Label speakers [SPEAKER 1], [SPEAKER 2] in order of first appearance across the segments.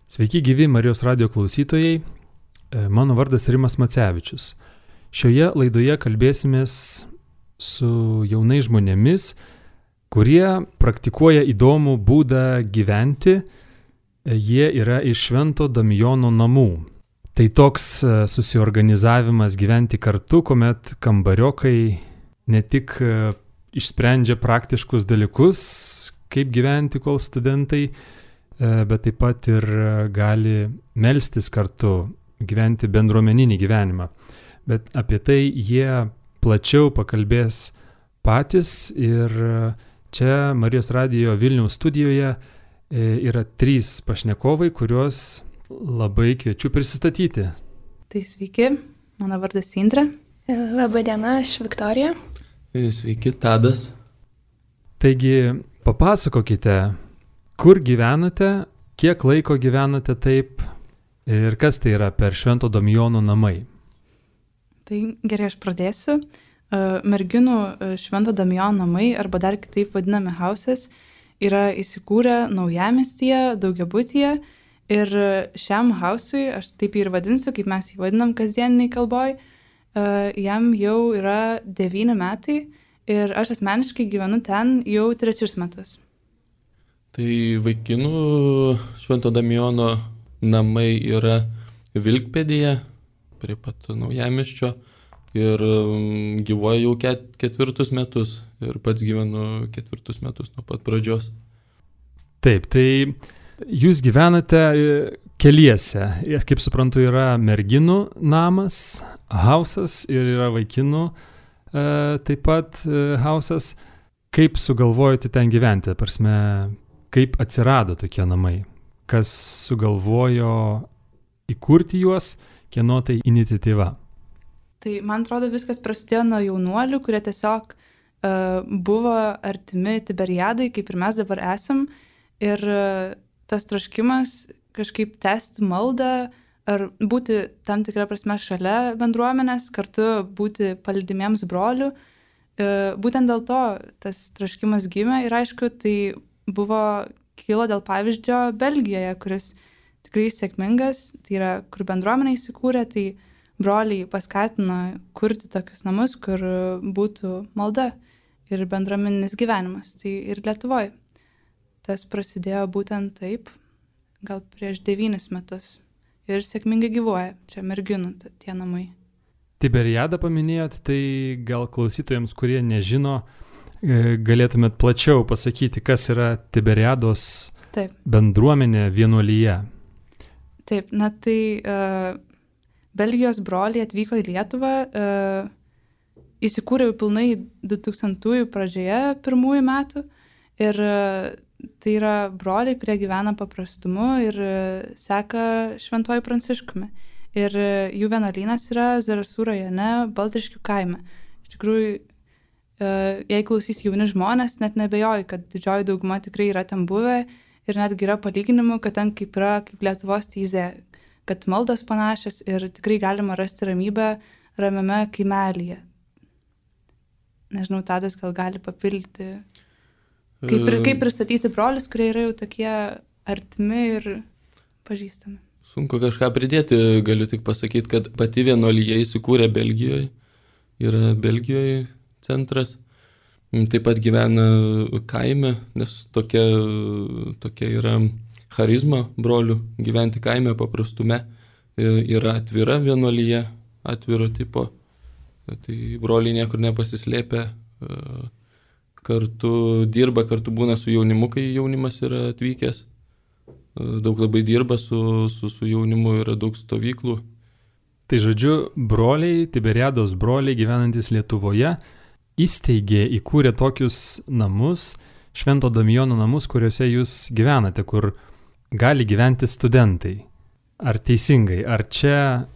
[SPEAKER 1] Sveiki gyvi Marijos radijo klausytojai, mano vardas Rimas Macevičius. Šioje laidoje kalbėsimės su jaunais žmonėmis, kurie praktikuoja įdomų būdą gyventi. Jie yra iš Švento Damijono namų. Tai toks susiorganizavimas gyventi kartu, kuomet kambariokai ne tik išsprendžia praktiškus dalykus, kaip gyventi, kol studentai, bet taip pat ir gali melstis kartu, gyventi bendruomeninį gyvenimą. Bet apie tai jie plačiau pakalbės patys ir čia Marijos radijo Vilniaus studijoje yra 3 pašnekovai, kuriuos labai kviečiu prisistatyti.
[SPEAKER 2] Tai sveiki, mano vardas Indrė.
[SPEAKER 3] Labą dieną, aš Viktorija.
[SPEAKER 4] Sveiki, Tadas.
[SPEAKER 1] Taigi, papasakokite, kur gyvenate, kiek laiko gyvenate taip ir kas tai yra per Švento Damijono namai.
[SPEAKER 2] Tai gerai, aš pradėsiu. Merginų Švento Damijono namai, arba dar kitaip vadinami houses, yra įsikūrę Naujamiestyje, daugiabutyje. Ir šiam hausui, aš taip jį ir vadinsiu, kaip mes jį vadinam kasdieniniai kalboj, jam jau yra 9 metai ir aš asmeniškai gyvenu ten jau 3 metus.
[SPEAKER 4] Tai vaikinų Švento Damijono namai yra Vilkpėdėje, prie pat Naujamiesčio, ir gyvuoja jau 4 metus ir pats gyvenu 4 metus nuo pat pradžios.
[SPEAKER 1] Taip, tai jūs gyvenate keliese. Kaip suprantu, yra merginų namas, hausas ir yra vaikinų taip pat hausas. Kaip sugalvojote ten gyventi? Prasme, kaip atsirado tokie namai? Kas sugalvojo įkurti juos? Kieno tai iniciatyva?
[SPEAKER 2] Tai man atrodo viskas prasidėjo nuo jaunuolių, kurie tiesiog buvo artimi Tiberiadai, kaip ir mes dabar esam. Ir tas troškimas kažkaip tęsti maldą ar būti tam tikrą prasme šalia bendruomenės, kartu būti palydimiems brolių. Būtent dėl to tas troškimas gimė ir aišku, tai kilo dėl pavyzdžio Belgijoje, kuris tikrai sėkmingas, tai yra, kur bendruomenė įsikūrė, tai broliai paskatino kurti tokius namus, kur būtų malda ir bendruomeninis gyvenimas. Tai ir Lietuvoje. Tas prasidėjo būtent taip, gal prieš 9 metus. Ir sėkmingai gyvuoja čia merginų tie namai.
[SPEAKER 1] Tiberiadą paminėjot, tai gal klausytojams, kurie nežino, galėtumėt plačiau pasakyti, kas yra Tiberiados bendruomenė vienuolyje.
[SPEAKER 2] Taip, na tai Belgijos broliai atvyko į Lietuvą, įsikūrė jau pilnai 2000-ųjų pradžioje, 1 metų. Ir tai yra broliai, kurie gyvena paprastumu ir seka Šventuoju Pranciškumi. Ir jų vienuolynas yra Zarasų rajone, Baltriškių kaime. Iš tikrųjų, jei klausys jauni žmonės, net nebejoju, kad didžioji dauguma tikrai yra ten buvę ir netgi yra palyginimų, kad ten kaip Lietuvos Teizė, kad maldos panašios ir tikrai galima rasti ramybę ramiame kaimelyje. Nežinau, Tadas gal gali papildyti. Kaip pristatyti brolius, kurie yra jau tokie artimi ir pažįstami?
[SPEAKER 4] Sunku kažką pridėti, galiu tik pasakyti, kad pati vienuolija įsikūrė Belgijoje, yra Belgijoje centras, taip pat gyvena kaime, nes tokia yra charizma brolių gyventi kaime paprastume, yra atvira vienuolija, atviro tipo, tai broliai niekur nepasislėpia, kartu dirba, kartu būna su jaunimu, kai jaunimas yra atvykęs. Daug labai dirba su jaunimu, yra daug stovyklų.
[SPEAKER 1] Tai žodžiu, broliai, Tiberiados broliai gyvenantis Lietuvoje įkūrė tokius namus, Švento Damijono namus, kuriuose jūs gyvenate, kur gali gyventi studentai. Ar teisingai? Ar čia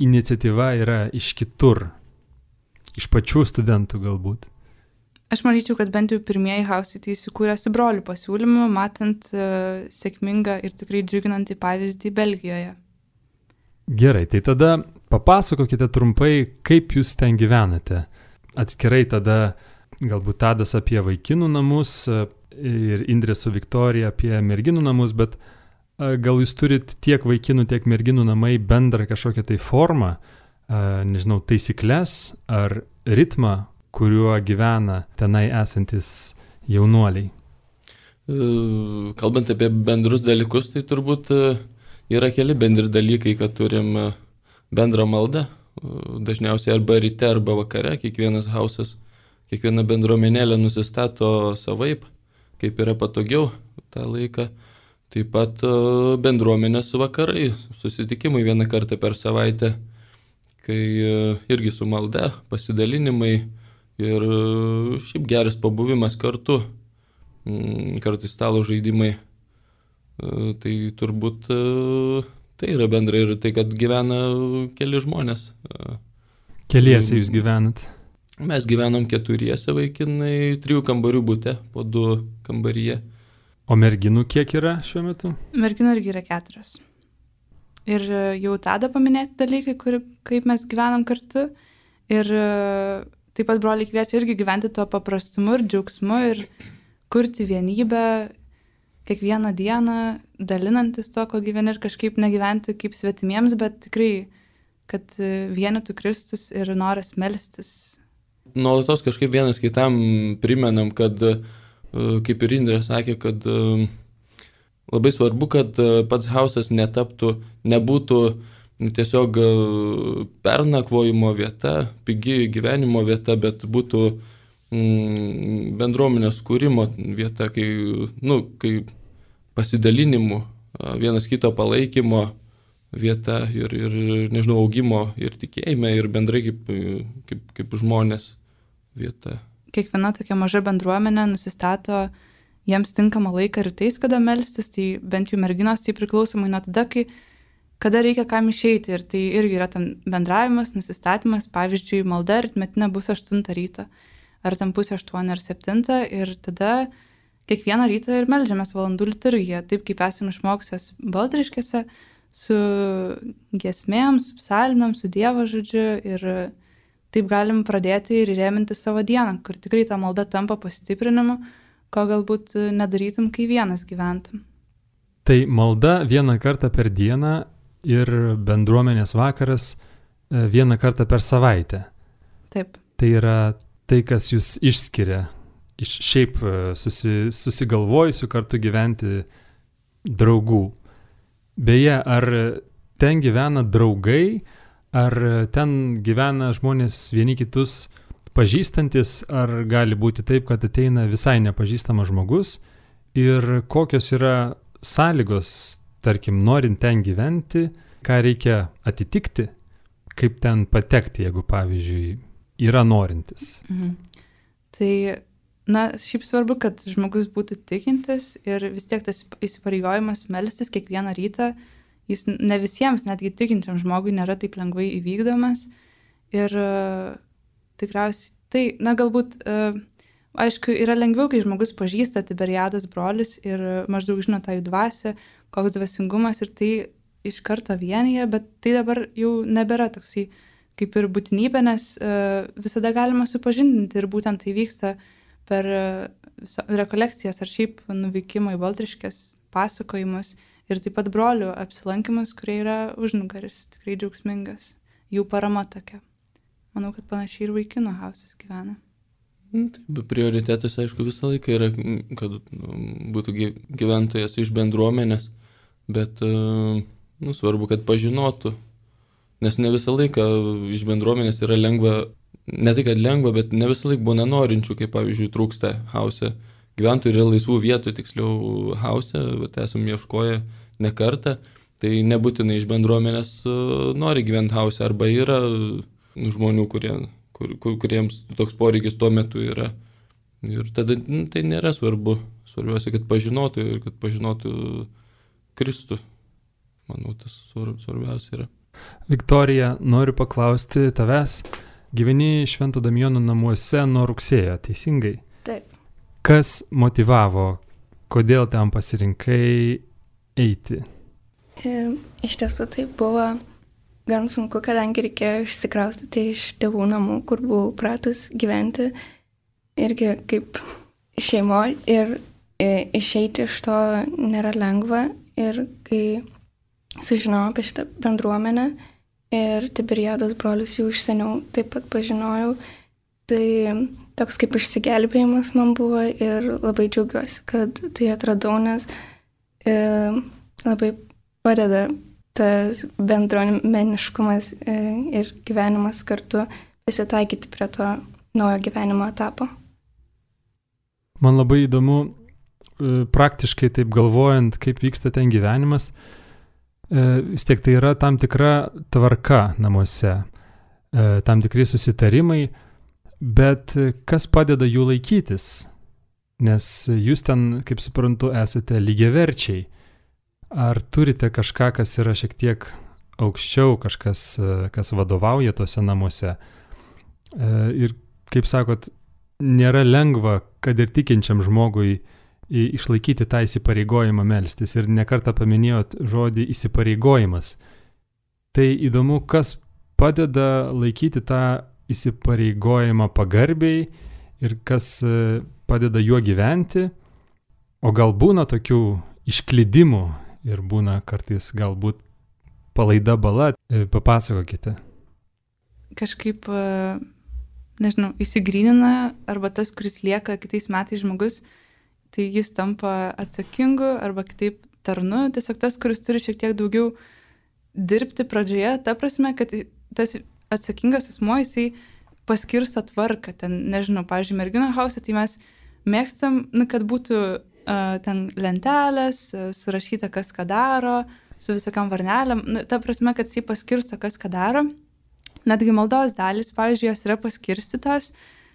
[SPEAKER 1] iniciatyva yra iš kitur? Iš pačių studentų galbūt?
[SPEAKER 2] Aš manyčiau, kad bent jau pirmieji hausai tai įsikūrė su brolių pasiūlymu, matant sėkmingą ir tikrai džiuginantį pavyzdį Belgijoje.
[SPEAKER 1] Gerai, tai tada papasakokite trumpai, kaip jūs ten gyvenate. Atskirai tada galbūt Tadas apie vaikinų namus ir Indrė su Viktorija apie merginų namus, bet gal jūs turit tiek vaikinų, tiek merginų namai bendrą kažkokią tai formą, nežinau, taisyklės ar ritmą, kuriuo gyvena tenai esantis jaunuoliai?
[SPEAKER 4] Kalbant apie bendrus dalykus, tai turbūt yra keli bendri dalykai, kad turim bendrą maldą, dažniausiai arba ryte, arba vakare, kiekvienas hausas, kiekviena bendruomenėlė nusistato savaip, kaip yra patogiau tą laiką. Taip pat bendruomenės vakarai, susitikimai vieną kartą per savaitę, kai irgi su malda, pasidalinimai ir šiaip geras pabuvimas kartu, kartais stalo žaidimai. Tai turbūt tai yra bendrai ir tai, kad gyvena keli žmonės.
[SPEAKER 1] Keliese jūs gyvenat?
[SPEAKER 4] Mes gyvenam 4 vaikinai, 3 kambarių bute, po 2 kambaryje.
[SPEAKER 1] O merginų kiek yra šiuo metu?
[SPEAKER 2] Merginų irgi yra 4. Ir jau tada paminėti dalykai, kaip mes gyvenam kartu. Ir taip pat broliai kviečia irgi gyventi tuo paprastumu ir džiaugsmu ir kurti vienybę kiekvieną dieną, dalinantis to, ko gyveni ir kažkaip negyventi kaip svetimiems, bet tikrai, kad vienytų Kristus ir noras melstis.
[SPEAKER 4] Nuolatos kažkaip vienas kitam primenam, kad kaip ir Indrė sakė, kad labai svarbu, kad pats hausas nebūtų tiesiog pernakvojimo vieta, pigi gyvenimo vieta, bet būtų bendruomenės kūrimo vieta, kai pasidalinimų, vienas kito palaikymo vieta ir nežinau, augimo ir tikėjime ir bendrai kaip žmonės vieta.
[SPEAKER 2] Kiekviena tokia maža bendruomenė nusistato jiems tinkamą laiką rytais, kada melstis, tai bent jau merginos tai priklausomai nuo tada, kada reikia kam išeiti. Ir tai irgi yra tam bendravimas, nusistatymas, pavyzdžiui, malda rytmetinė bus 8 ryto, ar tam 7:30 ar 7, ir tada kiekvieną rytą ir meldžiamės valandų liturgiją, taip kaip esame išmokusios Baltriškėse, su giesmėm, su psalmėm, su Dievo žodžiu, ir taip galim pradėti ir įrėminti savo dieną, kur tikrai ta malda tampa pastiprinimu, ko galbūt nedarytum, kai vienas gyventum.
[SPEAKER 1] Tai malda vieną kartą per dieną ir bendruomenės vakaras vieną kartą per savaitę.
[SPEAKER 2] Taip.
[SPEAKER 1] Tai yra tai, kas jūs išskiria iš šiaip susigalvojusių kartu gyventi draugų. Beje, ar ten gyvena draugai, ar ten gyvena žmonės vieni kitus pažįstantis, ar gali būti taip, kad ateina visai nepažįstamas žmogus, ir kokios yra sąlygos, tarkim, norint ten gyventi, ką reikia atitikti, kaip ten patekti, jeigu, pavyzdžiui, yra norintis.
[SPEAKER 2] Tai, šiaip svarbu, kad žmogus būtų tikintis ir vis tiek tas įsipareigojimas melstis kiekvieną rytą, jis ne visiems, netgi tikinčiam žmogui, nėra taip lengvai įvykdomas. Ir tikriausiai tai, galbūt, aišku, yra lengviau, kai žmogus pažįsta Tiberiados brolius ir maždaug žino tą jų dvasią, koks dvasingumas, ir tai iš karto vienyje, bet tai dabar jau nebėra toksai kaip ir būtinybė, nes visada galima supažindinti, ir būtent tai vyksta per rekolekcijas ar šiaip nuvykimą į Baltriškės pasakojimus ir taip pat brolių apsilankimus, kurie yra užnugaris, tikrai džiaugsmingas, jų parama tokia. Manau, kad panašiai ir vaikinų hausas gyvena.
[SPEAKER 4] Taip, prioritetas, aišku, visą laiką yra, kad būtų gyventojas iš bendruomenės, bet svarbu, kad pažinotų, nes ne visą laiką iš bendruomenės yra lengva, ne tai, kad lengva, bet ne visą laiką būna norinčių, kaip pavyzdžiui trūksta hause. Gyventojų yra laisvų vietų, tiksliau hause, bet esam ieškoję ne kartą, tai nebūtinai iš bendruomenės nori gyventi hause, arba yra žmonių, kuriems toks poreikis tuo metu yra. Ir tada tai nėra svarbu. Svarbiausia, kad pažinotų ir kad pažinotų Kristų. Manau, tas svarbiausia yra.
[SPEAKER 1] Viktorija, noriu paklausti tavęs. Gyveni Švento Damijono namuose nuo rugsėjo, teisingai?
[SPEAKER 3] Taip.
[SPEAKER 1] Kas motyvavo, kodėl ten pasirinkai eiti?
[SPEAKER 3] Iš tiesų tai buvo gan sunku, kadangi reikėjo išsikraustyti iš tėvų namų, kur buvau pratus gyventi, irgi kaip šeimoje, ir išeiti iš to nėra lengva, Ir kai sužinojau apie šitą bendruomenę ir Tiberiados brolius jau iš seniau taip pat pažinojau, tai toks kaip išsigelbėjimas man buvo ir labai džiaugiuosi, kad tai atradau, nes labai padeda tas bendruomeniškumas ir gyvenimas kartu prisitaikyti prie to naujo gyvenimo etapo.
[SPEAKER 1] Man labai įdomu, praktiškai taip galvojant, kaip vyksta ten gyvenimas, vis tiek tai yra tam tikra tvarka namuose, tam tikri susitarimai, bet kas padeda jų laikytis? Nes jūs ten, kaip suprantu, esate lygiaverčiai. Ar turite kažką, kas yra šiek tiek aukščiau, kažkas, kas vadovauja tose namuose? Ir, kaip sakot, nėra lengva, kad ir tikinčiam žmogui išlaikyti tą įsipareigojimą melstis. Ir nekartą paminėjot žodį įsipareigojimas. Tai įdomu, kas padeda laikyti tą įsipareigojimą pagarbiai ir kas padeda juo gyventi. O gal būna tokių išklydimų ir būna kartais galbūt palaida bala. Papasakokite.
[SPEAKER 2] Kažkaip, nežinau, įsigrynina arba tas, kuris lieka kitais metais žmogus, tai jis tampa atsakingu arba kitaip tarnu. Tiesiog tas, kuris turi šiek tiek daugiau dirbti pradžioje, ta prasme, kad tas atsakingas asmuo, jisai paskirsto tvarką. Ten, nežinau, pavyzdžiui, merginų hause, tai mes mėgstam, kad būtų ten lentelės, surašyta, kas ką daro, su visokiam varnelėm. Ta prasme, kad jisai paskirsto, kas ką daro. Netgi maldos dalis, pavyzdžiui, jos yra paskirstytos,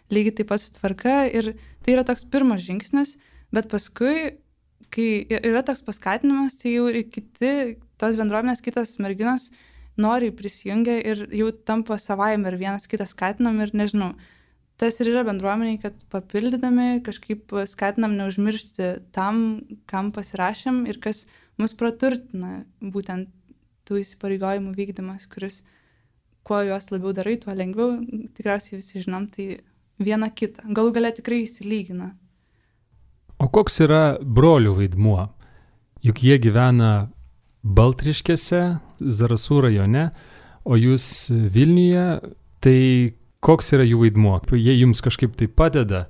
[SPEAKER 2] lygiai taip pat su tvarka. Ir tai yra toks pirmas žingsnis, bet paskui, kai yra toks paskatinimas, tai jau ir kiti, tos bendruomenės, kitos merginos noriai prisijungia ir jau tampa savaime ir vienas kitas skatinam ir nežinau. Tas ir yra bendruomeniai, kad papildydami kažkaip skatinam neužmiršti tam, kam pasirašėm ir kas mus praturtina, būtent tų įsipareigojimų vykdymas, kuris kuo juos labiau darai, tuo lengviau, tikriausiai visi žinom, tai viena kita. Galų gale tikrai įsilygina.
[SPEAKER 1] O koks yra brolių vaidmuo? Juk jie gyvena Baltriškėse, Zarasų rajone, o jūs Vilniuje, tai koks yra jų vaidmuo? Jie jums kažkaip tai padeda,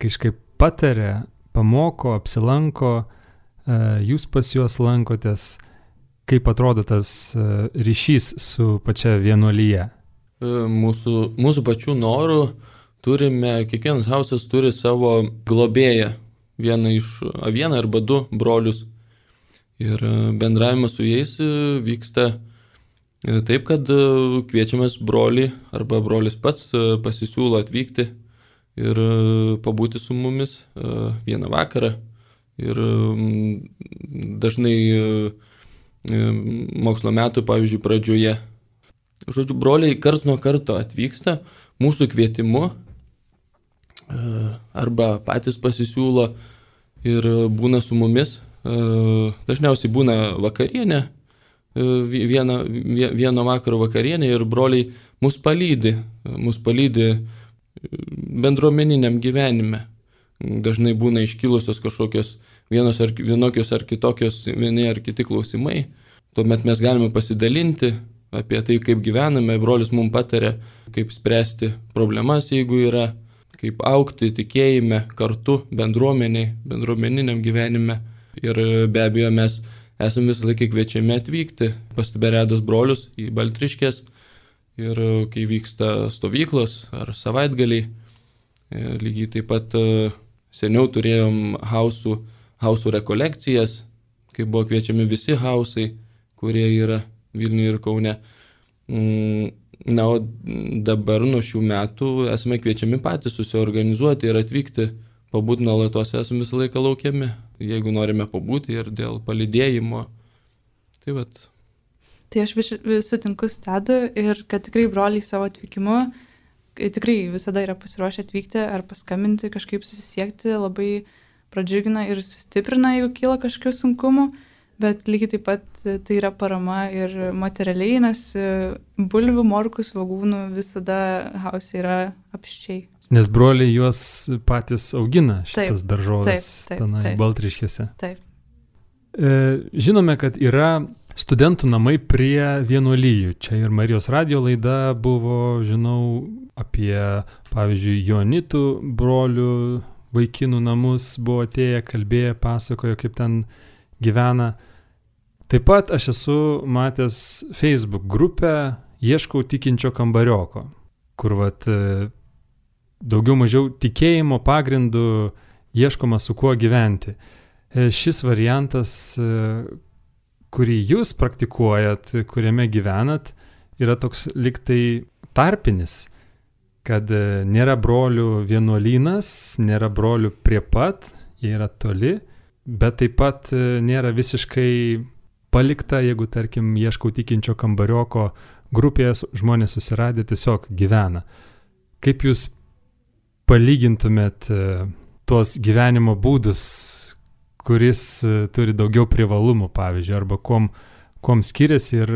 [SPEAKER 1] kažkaip pataria, pamoko, apsilanko, jūs pas juos lankotės. Kaip atrodo tas ryšys su pačia vienuolyje?
[SPEAKER 4] Mūsų pačių norų turime, kiekvienas hausas turi savo globėją, vieną arba du brolius. Ir bendravimas su jais vyksta taip, kad kviečiamas brolį arba brolis pats pasisiūlo atvykti ir pabūti su mumis vieną vakarą. Ir dažnai mokslo metų, pavyzdžiui, pradžioje. Žodžiu, broliai karts nuo karto atvyksta mūsų kvietimu arba patys pasisiūlo ir būna su mumis. Dažniausiai būna vakarienė, vieno vakaro vakarienė ir broliai mus palydi bendruomeniniam gyvenime. Dažnai būna iškilusios kažkokios vienokios ar kitokios vieni ar kiti klausimai. Tuomet mes galime pasidalinti apie tai, kaip gyvename. Brolis mums pataria, kaip spręsti problemas, jeigu yra, kaip augti tikėjime kartu bendruomeniniam gyvenime. Ir be abejo mes esame visą laiką kviečiami atvykti pas Tiberiados brolius į Baltriškės. Ir kai vyksta stovyklos ar savaitgaliai, lygiai taip pat seniau turėjom hausų rekolekcijas, kai buvo kviečiami visi hausai, kurie yra Vilniuje ir Kaune. Na, o dabar nuo šių metų esame kviečiami patys susiorganizuoti ir atvykti, pabūti nuolatos, esame visą laiką laukiami, jeigu norime pabūti ir dėl palydėjimo. Tai vat.
[SPEAKER 2] Tai aš sutinku su Tadu ir kad tikrai broliai savo atvykimu tikrai visada yra pasiruošę atvykti ar paskambinti, kažkaip susisiekti, labai pradžiugina ir sustiprina, jeigu kyla kažkokių sunkumų, bet lygiai taip pat tai yra parama ir materialiai, nes bulvių, morkų, svogūnų visada hause yra apščiai.
[SPEAKER 1] Nes broliai juos patys augina, šitas daržovės tenai Baltriškėse.
[SPEAKER 2] Taip.
[SPEAKER 1] Žinome, kad yra studentų namai prie vienuolijų. Čia ir Marijos radijo laida buvo, žinau, apie, pavyzdžiui, Joanitų brolių vaikinų namus buvo atėję, kalbėję, pasakojo, kaip ten gyvena. Taip pat aš esu matęs Facebook grupę Ieškau tikinčio kambarioko, kur daugiau mažiau tikėjimo pagrindų ieškoma su kuo gyventi. Šis variantas, kurį jūs praktikuojat, kuriame gyvenat, yra toks liktai tarpinis, kad nėra brolių vienuolynas, nėra brolių prie pat, jie yra toli, bet taip pat nėra visiškai palikta, jeigu, tarkim, Ieškau tikinčio kambarioko grupėje žmonės susiradę tiesiog gyvena. Kaip jūs palygintumėt tuos gyvenimo būdus, kuris turi daugiau privalumų, pavyzdžiui, arba kuom skiriasi ir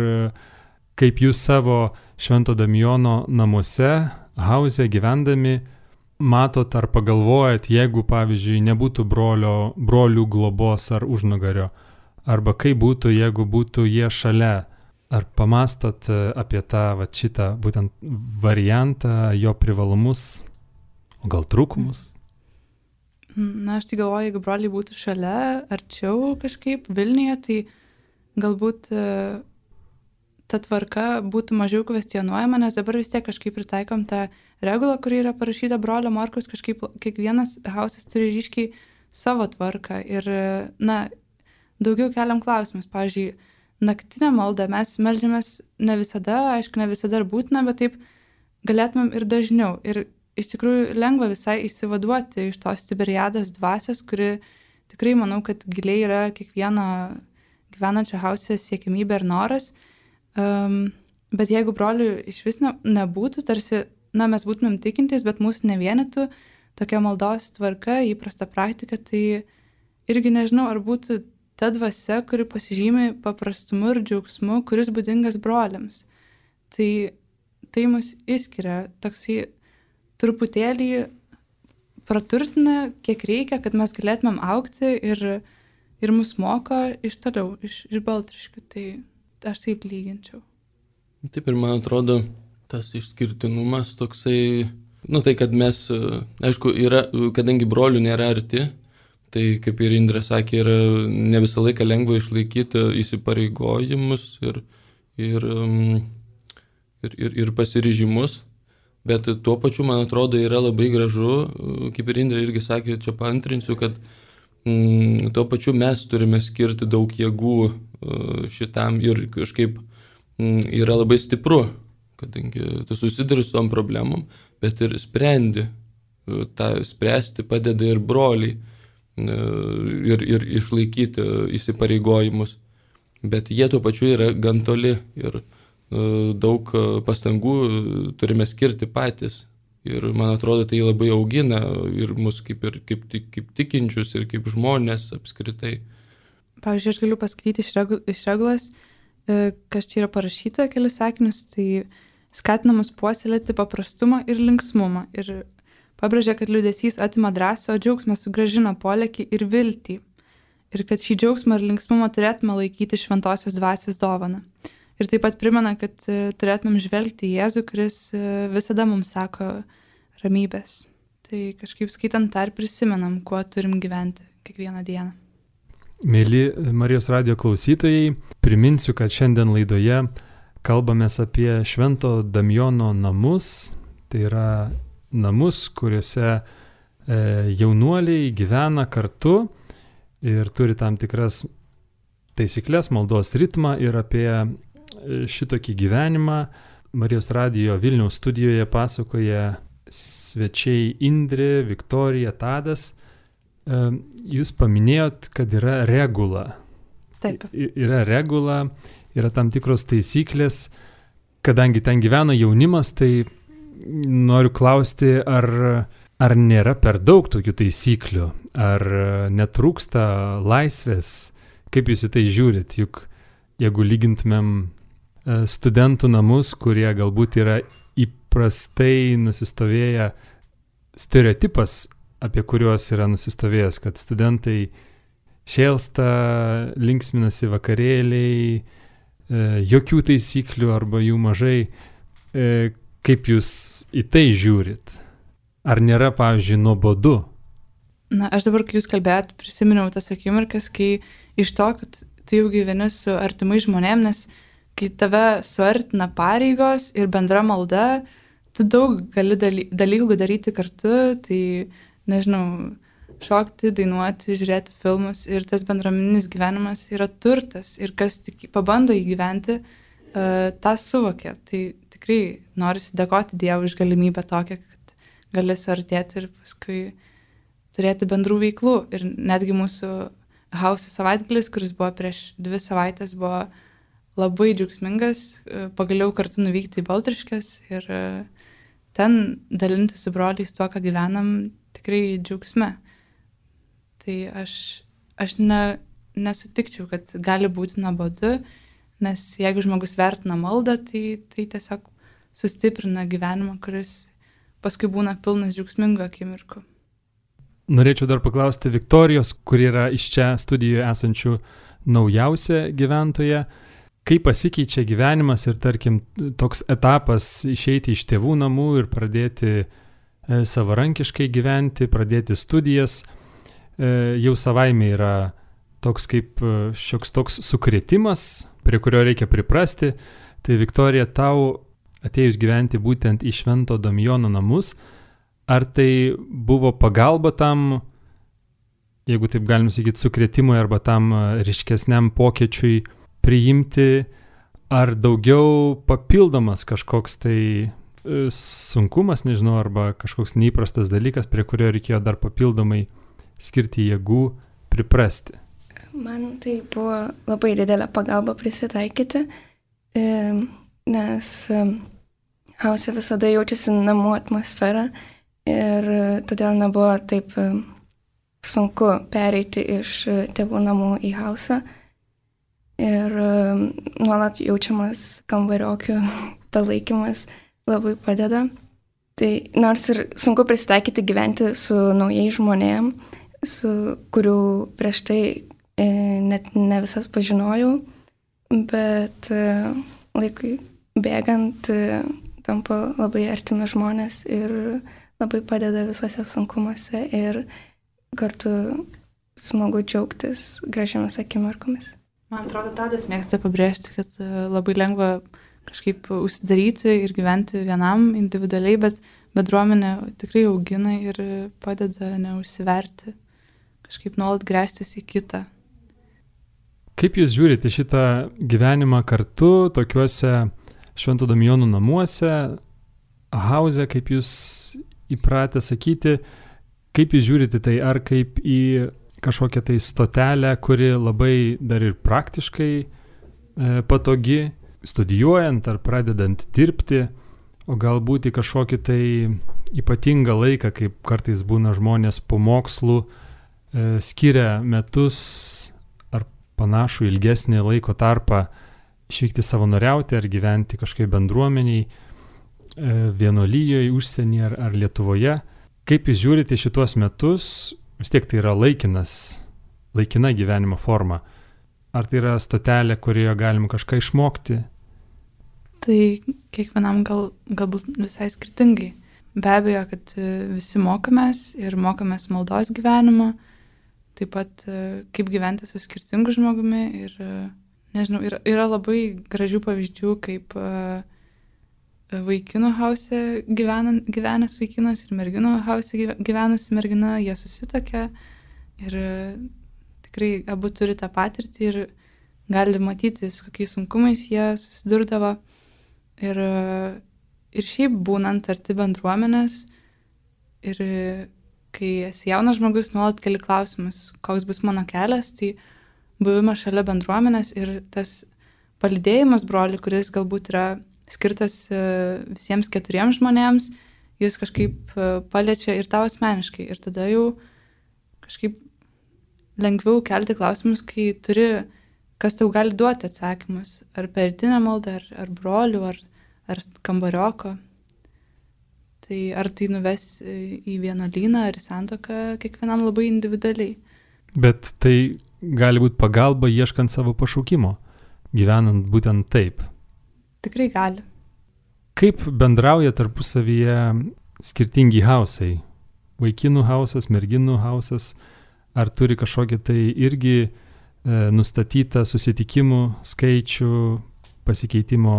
[SPEAKER 1] kaip jūs savo Švento Damijono namuose, hauze gyvendami, matot ar pagalvojat, jeigu, pavyzdžiui, nebūtų brolių globos ar užnugario, arba kaip būtų, jeigu būtų jie šalia, ar pamastot apie tą šitą būtent variantą, jo privalumus, o gal trūkumus?
[SPEAKER 2] Na, aš tai galvoju, jeigu broliai būtų šalia, arčiau kažkaip Vilniuje, tai galbūt ta tvarka būtų mažiau kvestionuojama, nes dabar vis tiek kažkaip pritaikom tą regulą, kuri yra parašyta brolio Morkaus, kažkaip kiekvienas hausas turi ryškiai savo tvarką ir, daugiau keliam klausimus. Pavyzdžiui, naktinę maldą mes meldžiamės ne visada, aišku, ne visada ir būtina, bet taip galėtumėm ir dažniau. Ir iš tikrųjų lengva visai įsivaduoti iš tos Tiberiados dvasios, kuri tikrai manau, kad giliai yra kiekvieno gyvenančio hause siekimybė ir noras. Bet jeigu brolių iš vis nebūtų, tarsi, mes būtumėm tikintys, bet mūsų nevienytų tokia maldos tvarka, įprasta praktika, tai irgi nežinau, ar būtų ta dvasia, kuri pasižymi paprastumu ir džiaugsmu, kuris būdingas broliams. Tai mus išskiria, toksai truputėlį praturtina, kiek reikia, kad mes galėtumėm augti ir mus moko iš toliau, iš Baltriškių. Tai aš taip lyginčiau.
[SPEAKER 4] Taip ir man atrodo, tas išskirtinumas toksai, tai kad mes, aišku, kadangi brolių nėra arti, tai kaip ir Indrė sakė, yra ne visą laiką lengva išlaikyti įsipareigojimus ir pasiryžimus. Bet tuo pačiu, man atrodo, yra labai gražu, kaip ir Indrė irgi sakė, čia paantrinsiu, kad tuo pačiu mes turime skirti daug jėgų šitam ir kažkaip yra labai stipru, kadangi tu susiduri su tom problemom, bet ir sprendi. Ta spręsti padeda ir broliai ir išlaikyti įsipareigojimus. Bet jie tuo pačiu yra gan toli ir daug pastangų turime skirti patys. Ir man atrodo, tai labai augina ir mus kaip tikinčius ir kaip žmonės apskritai.
[SPEAKER 2] Pavyzdžiui, aš galiu pasakyti iš regulos, kas čia yra parašyta, kelis sakinius, tai skatinamus puoselėti paprastumą ir linksmumą. Ir pabrėžia, kad liūdesys atima drąsą, o džiaugsmas sugrąžina polėkį ir viltį. Ir kad šį džiaugsmą ir linksmumą turėtume laikyti šventosios dvasios dovaną. Ir taip pat primena, kad turėtumėm žvelgti į Jėzų, kuris visada mums sako ramybės. Tai kažkaip skaitant tą ir prisimenam, kuo turim gyventi kiekvieną dieną.
[SPEAKER 1] Mėly Marijos radijo klausytojai, priminsiu, kad šiandien laidoje kalbamės apie Švento Damijono namus. Tai yra namus, kuriuose jaunuoliai gyvena kartu ir turi tam tikras taisyklės, maldos ritmą ir apie šitokį gyvenimą Marijos radijo Vilniaus studijoje pasakoja svečiai Indrė, Viktorija, Tadas. Jūs paminėjot, kad yra regula.
[SPEAKER 2] Taip.
[SPEAKER 1] Yra regula, yra tam tikros taisyklės. Kadangi ten gyvena jaunimas, tai noriu klausti, ar nėra per daug tokių taisyklių, ar netrūksta laisvės, kaip jūs į tai žiūrit, juk jeigu lygintumėm studentų namus, kurie galbūt yra įprastai nusistovėję stereotipas, apie kuriuos yra nusistovėjęs, kad studentai šėlsta, linksminasi vakarėliai, jokių taisyklių arba jų mažai. Kaip jūs į tai žiūrit? Ar nėra, pavyzdžiui, nuobodu?
[SPEAKER 2] Na, aš dabar, kai jūs kalbėjot, prisiminiau tas akimirkas, kai iš to, kad tu jau gyveni su artimai žmonėm, nes kai tave suartina pareigos ir bendra malda, tu daug gali dalykų daryti kartu, tai, nežinau, šokti, dainuoti, žiūrėti filmus ir tas bendruomeninis gyvenimas yra turtas ir kas tik pabando įgyventi, tą suvokia. Tai tikrai norisi dėkoti Dievui už galimybę tokią, kad gali suartėti ir paskui turėti bendrų veiklų. Ir netgi mūsų House savaitgalis, kuris buvo prieš 2 savaitės, buvo labai džiaugsmingas, pagaliau kartu nuvykti į Baltriškes ir ten dalinti su broliais tuo, ką gyvenam, tikrai džiaugsme. Tai aš nesutikčiau, kad gali būti nuobodu, nes jeigu žmogus vertina maldą, tai tiesiog sustiprina gyvenimą, kuris paskui būna pilnas džiaugsmingų akimirkų.
[SPEAKER 1] Norėčiau dar paklausti Viktorijos, kuri yra iš čia studijoje esančių naujausia gyventoja. Kaip pasikeičia gyvenimas ir, tarkim, toks etapas išeiti iš tėvų namų ir pradėti savarankiškai gyventi, pradėti studijas, jau savaime yra toks kaip šioks toks sukrėtimas, prie kurio reikia priprasti. Tai Viktorija, tau atėjus gyventi būtent į Švento Damijono namus, ar tai buvo pagalba tam, jeigu taip galim sakyti, sukrėtimui arba tam ryškesniam pokyčiui priimti, ar daugiau papildomas kažkoks tai sunkumas, nežinau, arba kažkoks neįprastas dalykas, prie kurio reikėjo dar papildomai skirti jėgų priprasti?
[SPEAKER 3] Man tai buvo labai didelė pagalba prisitaikyti, nes House visada jaučiasi namų atmosfera ir todėl nebuvo taip sunku pereiti iš tėvų namų į House. Ir nuolat jaučiamas kambariokių palaikymas labai padeda. Tai nors ir sunku prisitaikyti gyventi su naujais žmonėm, su kurių prieš tai net ne visas pažinojau, bet laikui bėgant tampa labai artimi žmonės ir labai padeda visuose sunkumuose ir kartu smagu džiaugtis gražiamis akimirkomis.
[SPEAKER 2] Man atrodo, Tadas mėgsta pabrėžti, kad labai lengva kažkaip užsidaryti ir gyventi vienam individualiai, bet bendruomenė tikrai augina ir padeda neužsiverti, kažkaip nuolat gręžtis į kitą.
[SPEAKER 1] Kaip jūs žiūrite šitą gyvenimą kartu, tokiuose Švento Damijono namuose, House, kaip jūs įpratę sakyti, kaip jūs žiūrite tai, ar kaip į kažkokią tai stotelę, kuri labai dar ir praktiškai patogi, studijuojant ar pradedant dirbti, o galbūt į kažkokį tai ypatingą laiką, kaip kartais būna žmonės po mokslų, skiria metus ar panašų ilgesnį laiko tarpą išvykti savanoriauti ar gyventi kažkaip bendruomeniai, vienuolijoje, užsienyje ar Lietuvoje. Kaip jūs žiūrite šituos metus, vis tiek tai yra laikina gyvenimo forma. Ar tai yra stotelė, kurioje galim kažką išmokti?
[SPEAKER 2] Tai kiekvienam galbūt visai skirtingai. Be abejo, kad visi mokomės ir mokomės maldos gyvenimo, taip pat kaip gyventi su skirtingu žmogumi ir, nežinau, yra labai gražių pavyzdžių, kaip vaikinų House gyvenęs vaikinas ir merginų House gyvenusi mergina, jie susitokia ir tikrai abu turi tą patirtį ir gali matyti, su kokiais sunkumais jie susidurdavo. Ir šiaip būnant arti bendruomenės ir kai esi jaunas žmogus, nuolat keli klausimus, koks bus mano kelias, tai buvimas šalia bendruomenės ir tas palydėjimas brolių, kuris galbūt yra skirtas visiems 4 žmonėms, jis kažkaip paliečia ir tau asmeniškai. Ir tada jau kažkaip lengviau kelti klausimus, kai turi, kas tau gali duoti atsakymus. Ar per rytinę maldą, ar brolių, ar kambarioko. Tai ar tai nuves į vienuolyną, ar į santuoką, kiekvienam labai individualiai.
[SPEAKER 1] Bet tai gali būti pagalba ieškant savo pašaukimo, gyvenant būtent taip.
[SPEAKER 2] Tikrai gali.
[SPEAKER 1] Kaip bendrauja tarpusavyje skirtingi hausai? Vaikinų hausas, merginų hausas, ar turi kažkokį tai irgi nustatytą susitikimų skaičių, pasikeitimo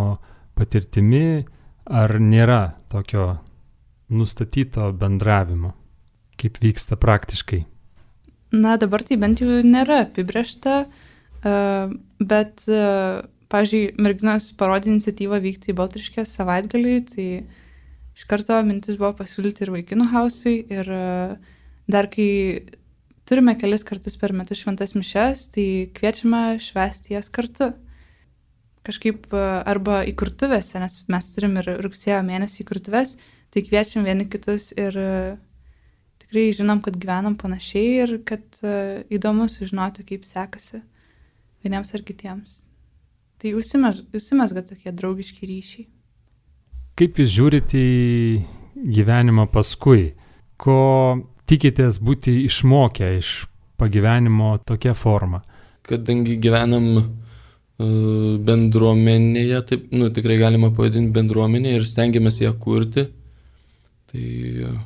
[SPEAKER 1] patirtimi, ar nėra tokio nustatyto bendravimo, kaip vyksta praktiškai?
[SPEAKER 2] Na, dabar tai bent jau nėra apibrėžta, bet, pavyzdžiui, merginos parodė iniciatyvą vykti į Baltriškės savaitgalį, tai iš karto mintis buvo pasiūlyti ir vaikinų hausui, ir dar kai turime kelis kartus per metus šventas mišes, tai kviečiame švęsti jas kartu. Kažkaip arba įkurtuvėse, nes mes turim ir rugsėjo mėnesį įkurtuvės, tai kviečiam vieni kitus ir tikrai žinom, kad gyvenam panašiai ir kad įdomu sužinoti, kaip sekasi vieniems ar kitiems. Tai užsimesga tokie draugiški ryšiai.
[SPEAKER 1] Kaip jūs žiūrite į gyvenimą paskui? Ko tikitės būti išmokę iš pagyvenimo tokia forma?
[SPEAKER 4] Kadangi gyvenam bendruomenėje, taip, tikrai galima pavadinti bendruomenėje ir stengiamės ją kurti. Tai,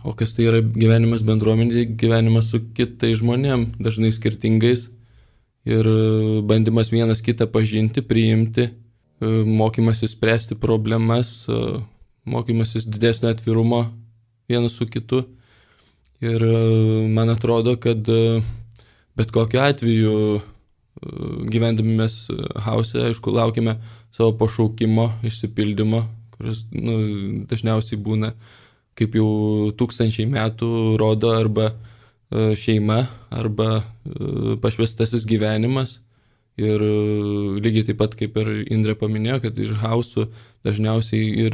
[SPEAKER 4] o kas tai yra gyvenimas bendruomenėje? Gyvenimas su kitais žmonėm, dažnai skirtingais, ir bandymas vienas kitą pažinti, priimti, mokymasis spręsti problemas, mokymasis didesnio atvirumo vienas su kitu. Ir man atrodo, kad bet kokiu atveju gyvendami mes hause, aišku, laukiame savo pašaukimo išsipildymo, kuris dažniausiai būna, kaip jau 1000 metų rodo, arba šeima, arba pašvestasis gyvenimas. Ir lygiai taip pat, kaip ir Indrė paminėjo, kad iš hausų dažniausiai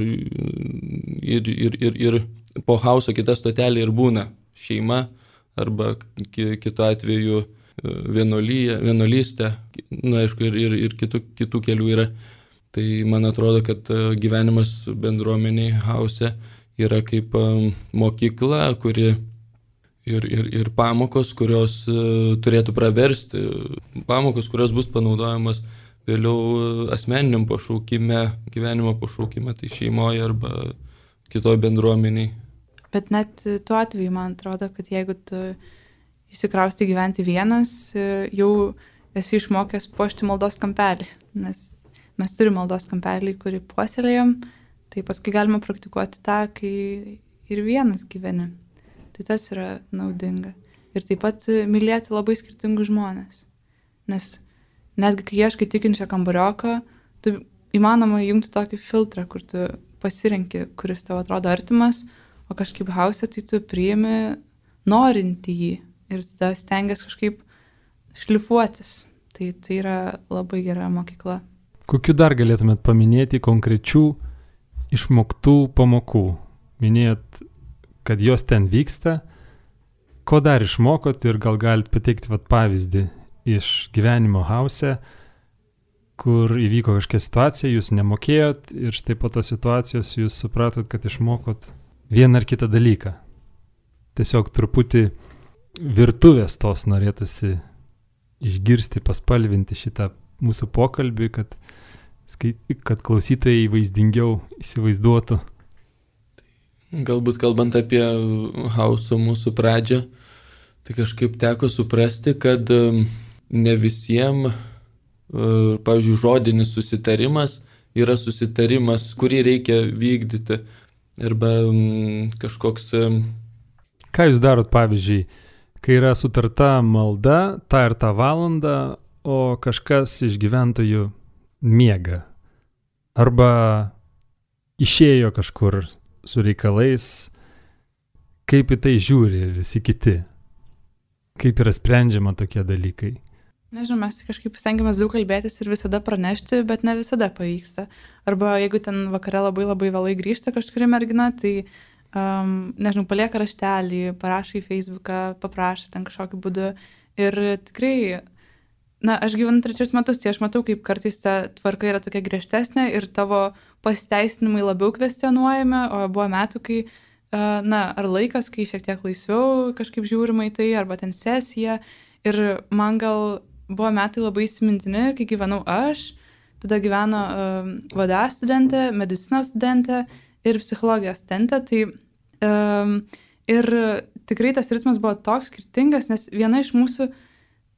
[SPEAKER 4] ir po hauso kita stotelė ir būna šeima, arba kitu atveju vienuolystė, aišku, ir kitų kelių yra. Tai man atrodo, kad gyvenimas bendruomeniai hause yra kaip mokykla, kuri ir pamokos, kurios turėtų praversti, pamokos, kurios bus panaudojamas vėliau asmeniniam pašaukime, gyvenimo pašaukime, tai šeimoje arba kitoje bendruomeniai.
[SPEAKER 2] Bet net tuo atveju, man atrodo, kad jeigu tu įsikrausti gyventi vienas, jau esi išmokęs puošti maldos kampelį, nes mes turime maldos kampelį, kurį puoselėjom, tai paskui galima praktikuoti tą, kai ir vienas gyveni. Tai tas yra naudinga. Ir taip pat mylėti labai skirtingus žmonės. Nes netgi kai ieškai tikinčio kambarioko, tu įmanoma įjungti tokį filtrą, kur tu pasirenki, kuris tau atrodo artimas, o kažkaip hause tai tu priimi norinti jį ir tada stengiasi kažkaip šlifuotis. Tai yra labai gera mokykla.
[SPEAKER 1] Kokiu dar galėtumėt paminėti konkrečių išmoktų pamokų? Minėjot, kad jos ten vyksta. Ko dar išmokot ir gal galit pateikti pavyzdį iš gyvenimo hause, kur įvyko kažkokia situacija, jūs nemokėjot ir štai po tos situacijos jūs supratot, kad išmokot vieną ar kitą dalyką. Tiesiog truputį virtuvės tos norėtųsi išgirsti, paspalvinti šitą mūsų pokalbį, kad klausytojai vaizdingiau įsivaizduotų.
[SPEAKER 4] Galbūt kalbant apie hauso mūsų pradžią, tai kažkaip teko suprasti, kad ne visiems, pavyzdžiui, žodinis susitarimas yra susitarimas, kurį reikia vykdyti. Arba kažkoks...
[SPEAKER 1] Ką jūs darot, pavyzdžiui, kai yra sutarta malda, tą ir tą valandą, o kažkas iš gyventojų miega? Arba išėjo kažkur su reikalais, kaip į tai žiūri visi kiti? Kaip yra sprendžiama tokie dalykai?
[SPEAKER 2] Nežinau, mes kažkaip stengiamės daug kalbėtis ir visada pranešti, bet ne visada pavyksta. Arba jeigu ten vakare labai labai vėlai grįžta kažkuri mergina, tai, nežinau, palieka raštelį, parašo į Facebooką, paprašo ten kažkokiu būdu. Ir tikrai, aš gyvenu 3 metus, tai aš matau, kaip kartais ta tvarka yra tokia griežtesnė ir tavo pasiteisinimai labiau kvestionuojami, o buvo metų, kai, ar laikas, kai šiek tiek laisviau kažkaip žiūrima į tai, arba ten sesija. Ir man gal buvo metai labai įsimintini, kai gyvenau aš, tada gyveno VDA studentė, medicinos studentė ir psichologijos studentė. Tai ir tikrai tas ritmas buvo toks skirtingas, nes viena iš mūsų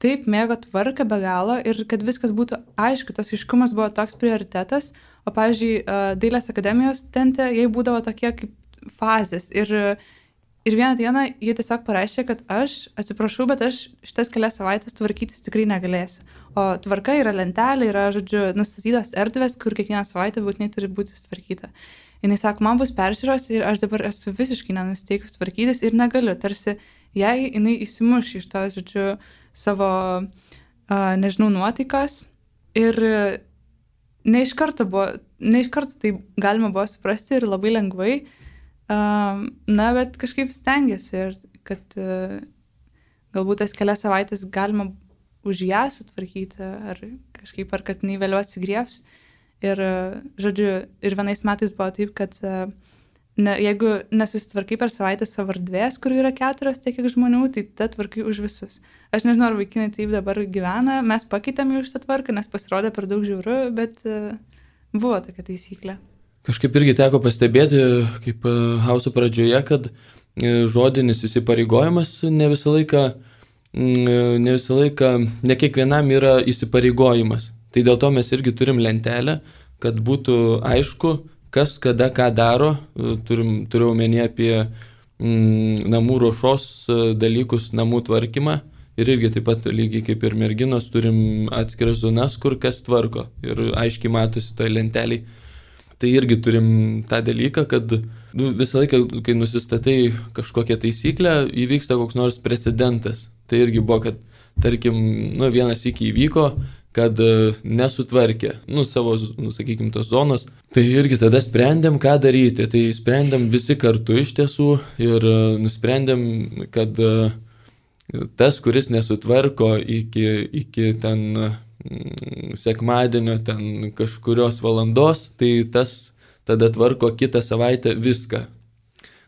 [SPEAKER 2] taip mėgo tvarką be galo ir kad viskas būtų aišku, tas aiškumas buvo toks prioritetas, o pavyzdžiui, Dailės akademijos studentė, jai būdavo tokie kaip fazės ir vieną dieną jie tiesiog pareiškė, kad aš atsiprašau, bet aš šitas kelias savaitės tvarkytis tikrai negalėsiu. O tvarka yra lentelė, yra, žodžiu, nustatytos erdvės, kur kiekvieną savaitę būtinai turi būti sutvarkyta. Jis sako, man bus peržiūros ir aš dabar esu visiškai nenusteikus tvarkytis ir negaliu, tarsi jei jinai įsimuš iš to, žodžiu, savo, nežinau, nuotaikas. Ir ne iš karto tai galima buvo suprasti ir labai lengvai, na, bet kažkaip stengiasi ir kad galbūt tas kelias savaitės galima už ją sutvarkyti ar kažkaip, ar kad jinai vėliau atsigriebs. Ir, žodžiu, ir vienais metais buvo taip, kad jeigu nesusitvarkai per savaitę savo erdvės, kur yra 4 tiek kiek žmonių, tai tada tvarkai už visus. Aš nežinau, ar vaikinai taip dabar gyvena, mes pakeitėm jau šitą tvarką, nes pasirodė per daug žiauru, bet buvo tokia taisyklė. Kažkaip
[SPEAKER 4] irgi teko pastebėti, kaip Hauso pradžioje, kad žodinis įsipareigojimas ne kiekvienam yra įsipareigojimas. Tai dėl to mes irgi turim lentelę, kad būtų aišku, kas kada ką daro. Turiu omenyje apie namų ruošos dalykus, namų tvarkymą. Ir irgi taip pat lygiai kaip ir merginos turim atskiras zonas, kur kas tvarko. Ir aiškiai matosi toj lenteliai. Tai irgi turim tą dalyką, kad visą laiką, kai nusistatai kažkokią taisyklę, įvyksta koks nors precedentas. Tai irgi buvo, kad tarkim, vienas iki įvyko, kad nesutvarkė, savo, sakykim, tos zonos. Tai irgi tada sprendėm, ką daryti. Tai sprendėm visi kartu iš tiesų ir nusprendėm, kad tas, kuris nesutvarko iki ten sekmadienio, ten kažkurios valandos, tai tas tada tvarko kitą savaitę viską.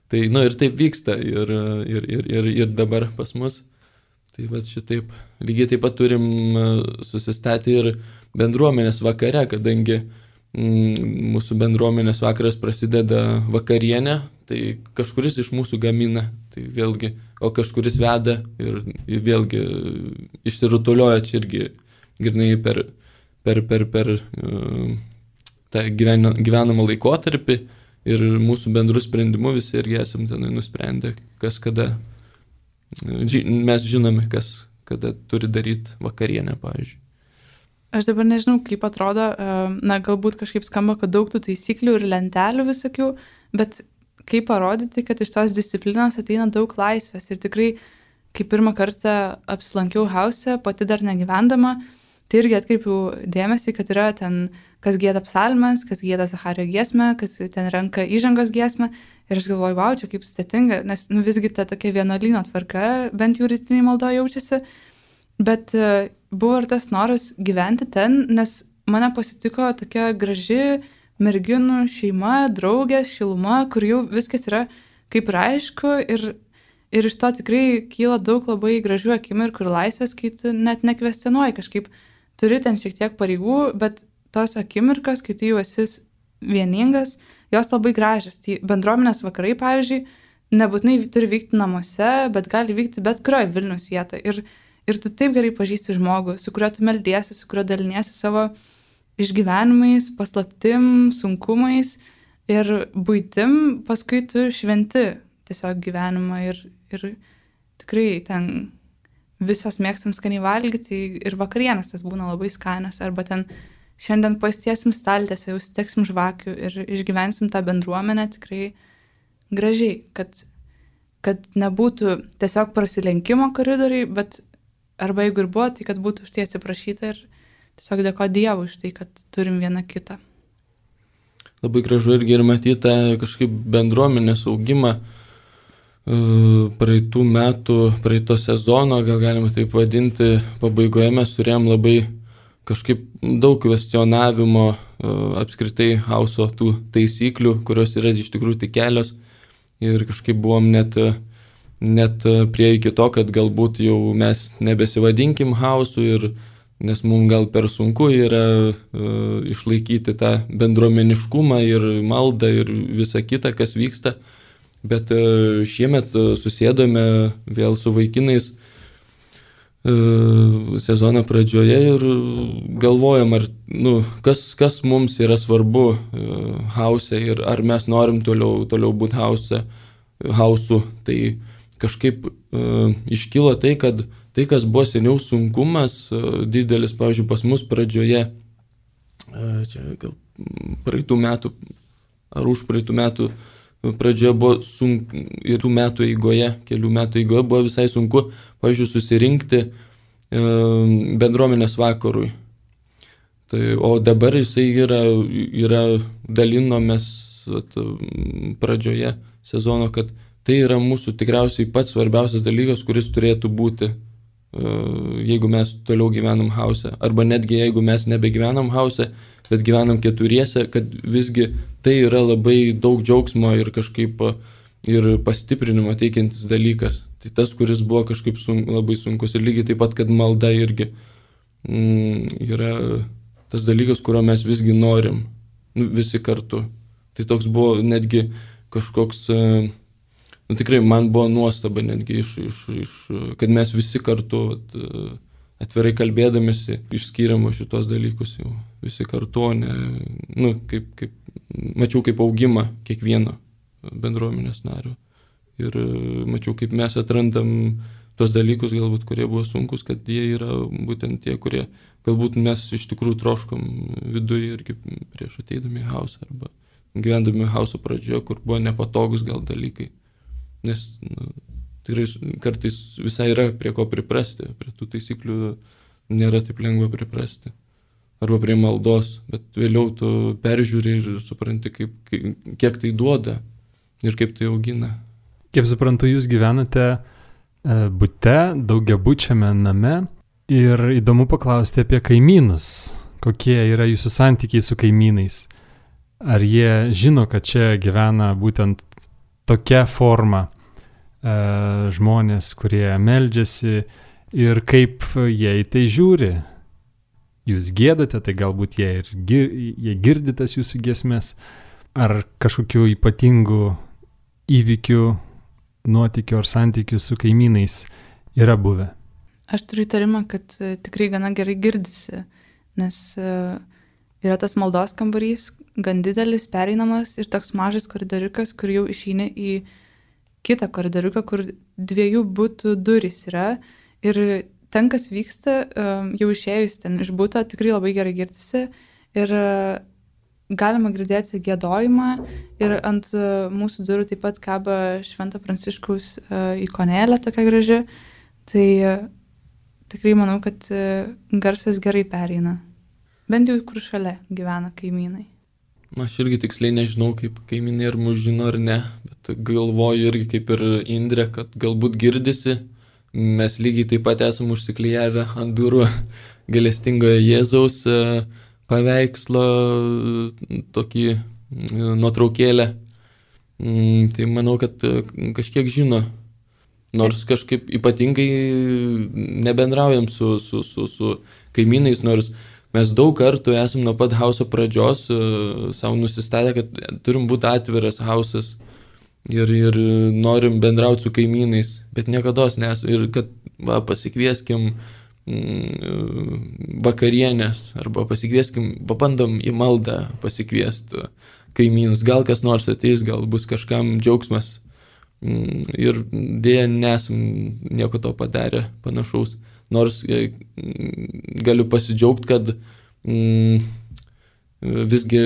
[SPEAKER 4] Tai, ir taip vyksta ir dabar pas mus. Tai va šitaip. Lygiai taip pat turim susistatę ir bendruomenės vakare, kadangi mūsų bendruomenės vakaras prasideda vakarienę, tai kažkuris iš mūsų gamina, tai vėlgi, o kažkuris veda ir vėlgi išsirutulioja čia irgi grynai per tą gyvenamą laikotarpį ir mūsų bendrų sprendimų visi irgi esam ten nusprendę, kas kada. Mes žinome, kas kada turi daryti vakarienę, pavyzdžiui.
[SPEAKER 2] Aš dabar nežinau, kaip atrodo, galbūt kažkaip skamba, kad daug tų taisyklių ir lentelių visokių, bet kaip parodyti, kad iš tos disciplinos ateina daug laisvės. Ir tikrai, kai pirmą kartą apsilankiau Hause, pati dar negyvendama, tai irgi atkreipiau dėmesį, kad yra ten, kas gieda psalmes, kas gieda Zachario giesmę, kas ten renka įžangos giesmę. Ir aš galvoju, wow, čia kaip sudėtinga, nes visgi ta tokia vienuolyno tvarka, bent jau rytiniai maldoje jaučiasi. Bet buvo ir tas noras gyventi ten, nes mane pasitiko tokia graži merginų šeima, draugės, šiluma, kur jau viskas yra kaip ir aišku. Ir iš to tikrai kyla daug labai gražių akimirkų ir laisvės, kai tu net nekvestionuoji kažkaip. Turi ten šiek tiek pareigų, bet tos akimirkos, kai tu jau esi vieningas, jos labai gražios. Tai bendruomenės vakarai, pavyzdžiui, nebūtinai turi vykti namuose, bet gali vykti bet kurioje Vilniaus vietoje. Ir tu taip gerai pažįsti žmogų, su kuriuo tu meldiesi, su kuriuo daliniesi savo išgyvenimais, paslaptim, sunkumais ir buitim, paskui tu šventi tiesiog gyvenimą ir tikrai ten visos mėgstam skaniai valgyti ir vakarienės tas būna labai skanios, arba ten šiandien pasitiesim staltiesę, jau suteksim žvakių ir išgyvensim tą bendruomenę tikrai gražiai, kad nebūtų tiesiog prasilenkimo koridoriai, bet arba jeigu ir buvo, tai kad būtų už tai atsiprašyta ir tiesiog dėko Dievui už tai, kad turim vieną kitą.
[SPEAKER 4] Labai gražu irgi ir matyti tą kažkaip bendruomenės augimą praeitų metų, praeito sezono, gal galima taip vadinti, pabaigoje mes turėjom labai kažkaip daug kvestionavimo apskritai Hauso tų taisyklių, kurios yra iš tikrųjų tik kelios. Ir kažkaip buvom net prie iki to, kad galbūt jau mes nebesivadinkim Hausu ir nes mums gal per sunku yra išlaikyti tą bendruomeniškumą ir maldą ir visą kitą, kas vyksta. Bet šiemet susėdome vėl su vaikinais sezono pradžioje ir galvojam, ar, kas mums yra svarbu hause ir ar mes norim toliau būti hausu. Tai kažkaip iškilo tai, kad tai, kas buvo seniau sunkumas didelis, pavyzdžiui, pas mus pradžioje, čia gal praeitų metų ar už praeitų metų pradžioje buvo sunku ir tų metų eigoje, kelių metų eigoje buvo visai sunku, pavyzdžiui, susirinkti bendruomenės vakarui. Tai, o dabar jisai yra dalinomės pradžioje sezono, kad tai yra mūsų tikriausiai pats svarbiausias dalykas, kuris turėtų būti, jeigu mes toliau gyvenam hause. Arba netgi jeigu mes nebegyvenam hause, bet gyvenam keturiese, kad visgi tai yra labai daug džiaugsmo ir kažkaip ir pastiprinimo teikiantis dalykas. Tai tas, kuris buvo kažkaip labai sunkus. Ir lygiai taip pat, kad malda irgi yra tas dalykas, kurio mes visgi norim, visi kartu. Tai toks buvo netgi kažkoks, tikrai man buvo nuostaba netgi kad mes visi kartu atvirai kalbėdamėsi išskyrėm šitos dalykus jau visi kartu, mačiau kaip augimą kiekvieno bendruomenės nario. Ir mačiau, kaip mes atrandam tos dalykus, galbūt, kurie buvo sunkus, kad jie yra būtent tie, kurie galbūt mes iš tikrųjų troškom viduje irgi prieš ateidami į hausą arba gyvendami hauso pradžioje, kur buvo nepatogus gal dalykai. Nes tikrai kartais visai yra prie ko priprasti, prie tų taisyklių nėra taip lengva priprasti. Arba prie maldos, bet vėliau tu peržiūri ir supranti, kiek tai duoda ir kaip tai augina.
[SPEAKER 1] Kaip suprantu, jūs gyvenate bute, daugiabučiame name ir įdomu paklausti apie kaimynus. Kokie yra jūsų santykiai su kaimynais? Ar jie žino, kad čia gyvena būtent tokia forma žmonės, kurie meldžiasi ir kaip jie į tai žiūri? Jūs giedate, tai galbūt jie girdi tas jūsų giesmės, ar kažkokių ypatingų įvykių, nuotykių ar santykių su kaimynais yra buvę?
[SPEAKER 2] Aš turiu įtarimą, kad tikrai gana gerai girdisi, nes yra tas maldos kambarys, gan didelis, pereinamas ir toks mažas koridoriukas, kur jau išeini į kitą koridoriuką, kur 2 butų durys yra ir ten, kas vyksta, jau išėjus ten iš buto, tikrai labai gerai girdisi ir galima girdėti giedojimą ir ant mūsų durų taip pat kaba Švento Pranciškaus ikonėlė tokia graži, tai tikrai manau, kad garsas gerai pereina. Bent jau kur šalia gyvena kaimynai.
[SPEAKER 4] Aš irgi tiksliai nežinau, kaip kaimynai ar mus žino ar ne, bet galvoju irgi kaip ir Indrė, kad galbūt girdisi. Mes lygiai taip pat esam užsiklijavę ant durų gailestingojo Jėzaus paveikslo tokį nuotraukėlę. Tai manau, kad kažkiek žino. Nors kažkaip ypatingai nebendraujam su kaimynais, nors mes daug kartų esam nuo pat hauso pradžios savo nusistatę, kad turim būti atviras hausas ir norim bendrauti su kaimynais, bet niekados nesam. Ir kad pasikvieskim vakarienės arba pabandom į maldą pasikviesti kaimynus. Gal kas nors ateis, gal bus kažkam džiaugsmas. Ir dėja nesam nieko to padarę panašaus. Nors galiu pasidžiaugti, kad visgi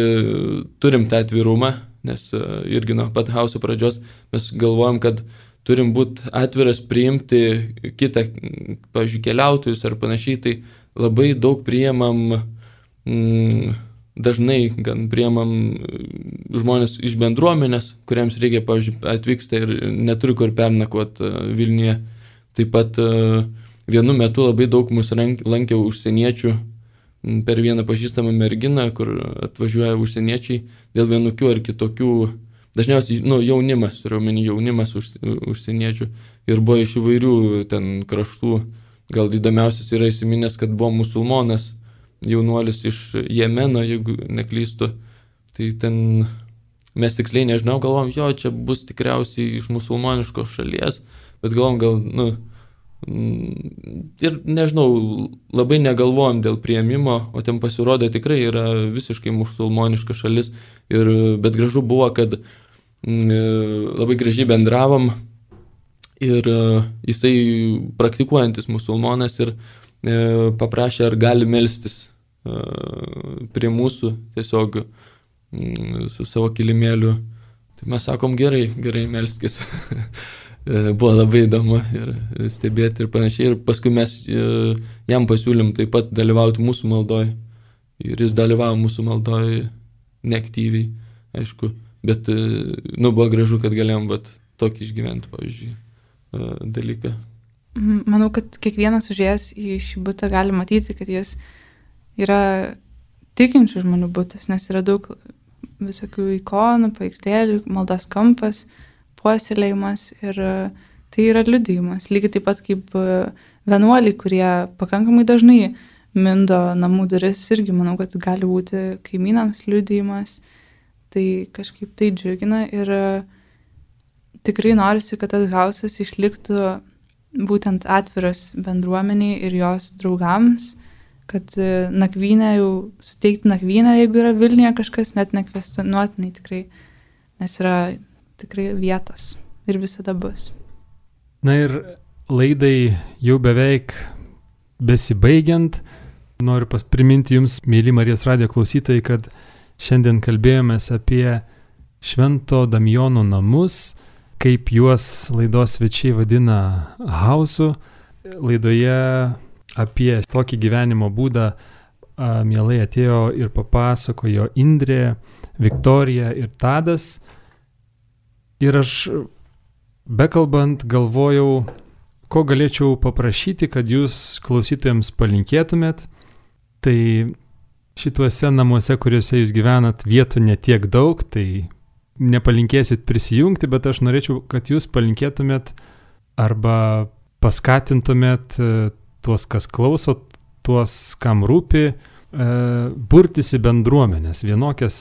[SPEAKER 4] turim tą atvirumą, nes irgi nuo pat hauso pradžios mes galvojam, kad turim būti atviras priimti kitą, pavyzdžiui, keliautojus ar panašiai, tai labai daug priimam, dažnai gan priimam žmonės iš bendruomenės, kuriems reikia, pavyzdžiui, atvyksta ir neturi kur pernakvoti Vilniuje. Taip pat vienu metu labai daug mus lankė užsieniečių per vieną pažįstamą merginą, kur atvažiuoja užsieniečiai dėl vienokių ar kitokių, dažniausiai jaunimas, turiu omeny jaunimas užsieniečių ir buvo iš įvairių ten kraštų, gal įdomiausias yra įsiminęs, kad buvo musulmonas jaunuolis iš Jemeno, jeigu neklystu. Tai ten mes tiksliai nežinau, galvom, jo, čia bus tikriausiai iš musulmoniškos šalies, bet galvom, ir nežinau, labai negalvojom dėl priėmimo, o ten pasirodė tikrai yra visiškai musulmoniška šalis, bet gražu buvo, kad labai gražiai bendravom ir jisai praktikuojantis musulmonas ir paprašė, ar gali melstis prie mūsų tiesiog su savo kilimėliu. Tai mes sakom, gerai melskis. Buvo labai įdomu ir stebėti ir panašiai. Ir paskui mes jam pasiūlym taip pat dalyvauti mūsų maldoj. Ir jis dalyvavo mūsų maldoj neaktyviai, aišku. Bet buvo gražu, kad galėjom tokį išgyventi, pavyzdžiui, dalyką.
[SPEAKER 2] Manau, kad kiekvienas užėjęs į šį butą gali matyti, kad jis yra tikinčių žmonių butas, nes yra daug visokių ikonų, paveikslėlių, maldos kampas, puoselėjimas ir tai yra liudijimas. Lygiai taip pat kaip vienuoliai, kurie pakankamai dažnai mindo namų duris, irgi manau, kad gali būti kaimynams liudijimas. Tai kažkaip tai džiugina ir tikrai norisi, kad tas hausas išliktų būtent atviras bendruomeniai ir jos draugams, kad nakvynę jau suteikti nakvynę, jeigu yra Vilniuje kažkas, net nekvestionuotinai tikrai, nes yra tikrai vietos ir visada bus.
[SPEAKER 1] Na ir laidai jau beveik besibaigiant, noriu priminti jums, mėly Marijos radijo klausytojai, kad šiandien kalbėjomės apie Švento Damijono namus, kaip juos laidos svečiai vadina hausu. Laidoje apie tokį gyvenimo būdą mielai atėjo ir papasakojo Indrė, Viktorija ir Tadas. Ir aš bekalbant galvojau, ko galėčiau paprašyti, kad jūs klausytojams palinkėtumėt. Tai šituose namuose, kuriuose jūs gyvenat, vietų netiek daug, tai nepalinkėsit prisijungti, bet aš norėčiau, kad jūs palinkėtumėt arba paskatintumėt tuos, kas klauso, tuos, kam rūpi, burtis į bendruomenės, vienokias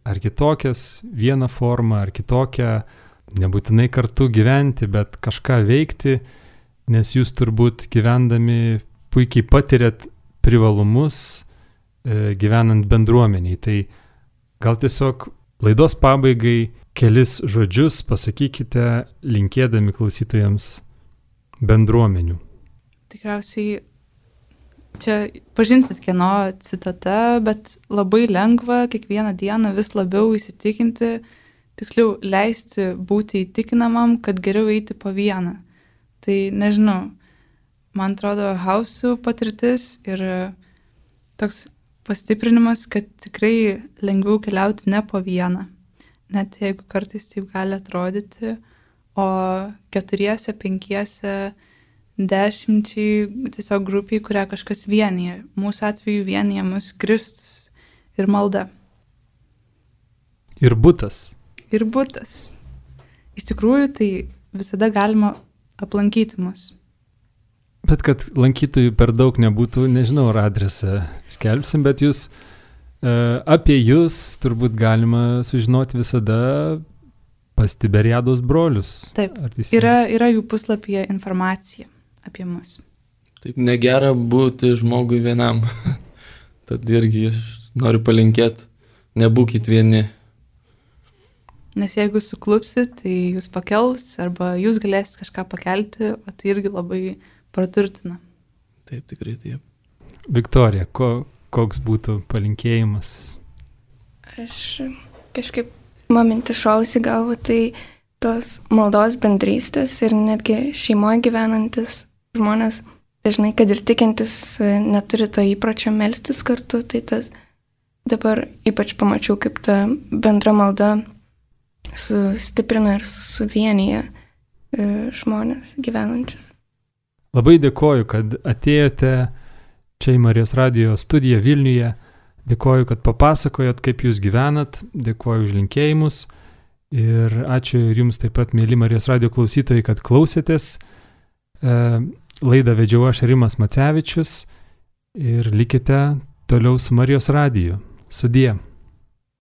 [SPEAKER 1] ar kitokias, vieną formą ar kitokią, nebūtinai kartu gyventi, bet kažką veikti, nes jūs turbūt gyvendami puikiai patiriat privalumus gyvenant bendruomeniai. Tai gal tiesiog laidos pabaigai kelis žodžius pasakykite, linkėdami klausytojams bendruomenių.
[SPEAKER 2] Tikriausiai čia pažinsit kieno citata, bet labai lengva kiekvieną dieną vis labiau įsitikinti, tiksliau leisti būti įtikinamam, kad geriau eiti po vieną. Tai nežinau, man atrodo, hausų patirtis ir toks pastiprinimas, kad tikrai lengviau keliauti ne po vieną, net jeigu kartais taip gali atrodyti, o 4, 5, 10 tiesiog grupiai, kurią kažkas vienyje. Mūsų atveju vienyje mus Kristus ir malda.
[SPEAKER 1] Ir butas.
[SPEAKER 2] Ir butas. Iš tikrųjų, tai visada galima aplankyti mus.
[SPEAKER 1] Bet kad lankytojų per daug nebūtų, nežinau, ar adresą skelbsim, bet jūs, apie jūs turbūt galima sužinoti visada pas Tiberiados brolius.
[SPEAKER 2] Taip, yra jų puslapyje informacija apie mus.
[SPEAKER 4] Taip, negera būti žmogui vienam. Tad irgi aš noriu palinkėti, nebūkit vieni.
[SPEAKER 2] Nes jeigu suklupsit, tai jūs pakels, arba jūs galėsit kažką pakelti, o tai irgi labai praturtina.
[SPEAKER 4] Taip, tikrai taip.
[SPEAKER 1] Viktorija, koks būtų palinkėjimas?
[SPEAKER 3] Aš kažkaip mintis šausi galvą, tai tos maldos bendrystės ir netgi šeimoje gyvenantis žmonės, dažnai, kad ir tikintis neturi to įpročio melstis kartu, tai tas dabar ypač pamačiau, kaip ta bendra malda sustiprina ir suvienyje žmonės gyvenančius.
[SPEAKER 1] Labai dėkoju, kad atėjote čia į Marijos radijo studiją Vilniuje. Dėkoju, kad papasakojot, kaip jūs gyvenat. Dėkoju už linkėjimus. Ir ačiū ir jums taip pat, mėly Marijos radijo klausytojai, kad klausėtės. Laidą vedžiau aš Rimas Macevičius ir likite toliau su Marijos radiju. Sudie.